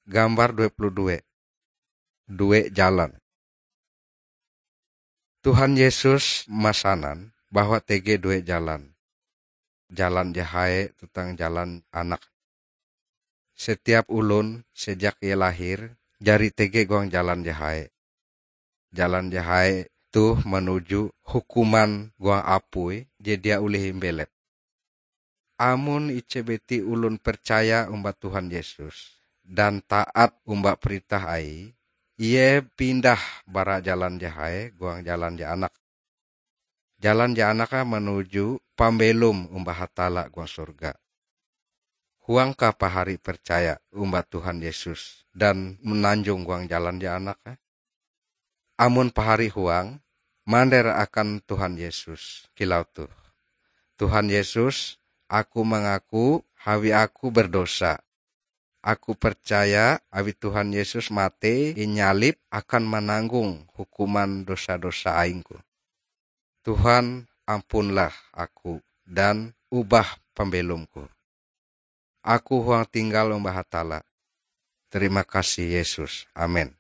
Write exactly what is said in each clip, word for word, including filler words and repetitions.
Gambar dua puluh dua. Due jalan. Tuhan Yesus masanan bahwa tege due jalan. Jalan je hae tuntang jalan anak. Setiap olon sejak ie lahir jari tege huang jalan je hae. Jalan je hae toh manuju hukuman huang apui je dia olih imbelep. Amon ije biti olon percaya omba Tuhan Yesus dan taat omba perintah Aie, ie pindah bara jalan je hae huang jalan je anak. Jalan je anak manuju pambelom omba Hatalla huang sorga. Huangkah pahari percaya omba Tuhan Yesus dan mananjong huang jalan je anak? Amon pahari huang, mander akan Tuhan Yesus kilau toh, "Tuhan Yesus, aku mangaku awi aku berdosa. Aku percaya awi Tuhan Yesus matei inyalib akan mananggong hukuman dosa-dosa aingku. Tuhan, ampunlah aku dan ubah pambelomku. Aku huang tinggal omba Hatalla. Terima kasih Yesus. Amen."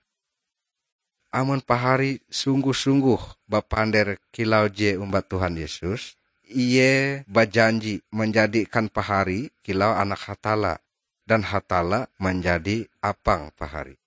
Amon pahari sungguh-sungguh bapander kilau je omba Tuhan Yesus, ie bajanji manjadikan pahari kilau anak Hatalla, dan Hatalla manjadi apang pahari.